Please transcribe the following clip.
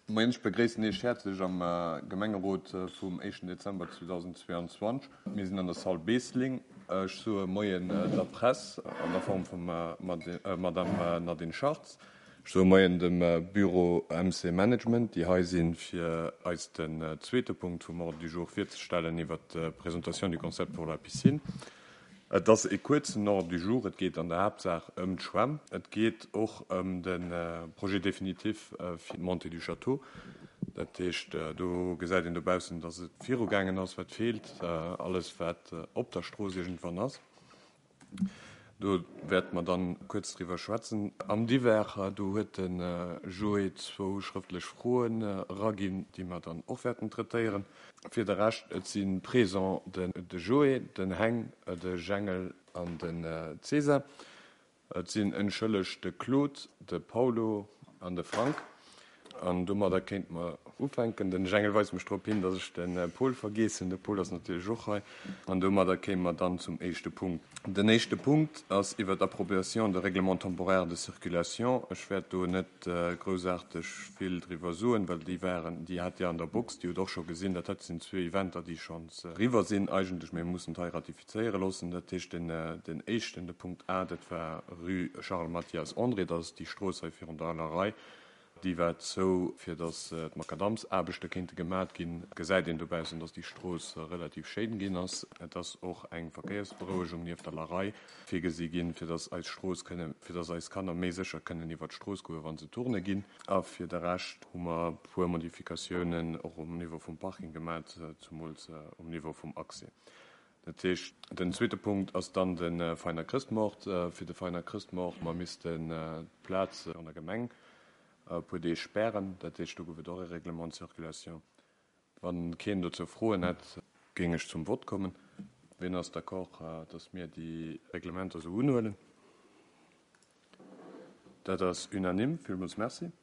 Moien, ech begréissen Iech häerzlech am Gemengerot vum éischten Dezember 2022. Mir sinn an der Salle Beesling. Ech soe Moien der Press an der Form vum Madame Nadine Schartz. Ech soe Moien dem Büro MC Management, déi hei sinn, fir eis den zweete Punkt vum Ordre du jour virzestellen iwwert d'Présentation du concept pour la piscine. Et ass e kuerzen Ordre du jour. Et geet an der Haaptsaach ëm d'Schwämm. Et geet och ëm de Projet définitif fir d'Montée du Château. Dat heescht, do gesäit een dobaussen, dass et virugaangen ass, wat feelt, alles wat op der Strooss iergendwann ass. Do wäerte mer dann kuerz driwwer schwätzen. Am Divers, do huet de Joé zwou schrëftlech Froen eraginn, déi mer dann och wäerten traitéieren. Fir de Rescht, et si présent de Joé, den Heng, de Jengel an den César. Et sinn entschëllegt de Claude, de Paulo an de Frank. An domadder kéinte mer ufänken. Den Jengel weist mech drop hin, dass ech de Paul vergeess hunn. De Paul ass natierlech och hei. An domadder kéime mer dann zum éischte Punkt. Den éischte Punkt ass iwwert d'Appropriation de règlement temporaire de circulation. Ech wäert do net groussaarteg vill driwwer soen, well déi waren, déi hat Dir an der Box, Dir hutt och scho gesinn, dat hei sinn zwee Eventer, déi schonns eriwwer sinn eigentlech, mä mir mussen et hei ratifizéiere loossen. Dat heescht, den, den éischten, de Punkt A, dat war rue Charles Mathias André, dat ass déi Strooss hei virun der Alerei, déi war zou, fir datt d'Makadamsaarbechte kéinte gemat ginn. Et gesäit een dobaussen, datt déi Strooss relativ schéin ginn ass. Et ass och eng Verkéiersberouegung nieft der Larei virgesi ginn, fir dass eis Strooss kënne, fir dass eis Kanner méi sécher kënnen iwwert d'Strooss goen, wa se tourne ginn. A fir de Rescht hu mer e puer Modifikatiounen och um Niveau vum Parking gemat, zumools um Niveau vum Accès. Dat heescht, den zweete Punkt ass dann de Veiner Chrëstmoart. Fir de Veiner Chrëstmoart, mer missten d'Plaz an der Gemeng e puer Deeg spären. Dat heescht, do gouf et och e Règlement de circulation. Wann keen dozou Froen hätt, géing ech zum Vott kommen. Wien ass d'accord, dass mir déi Reglementer esou unhuelen? Dat ass unanime. Villmools Merci.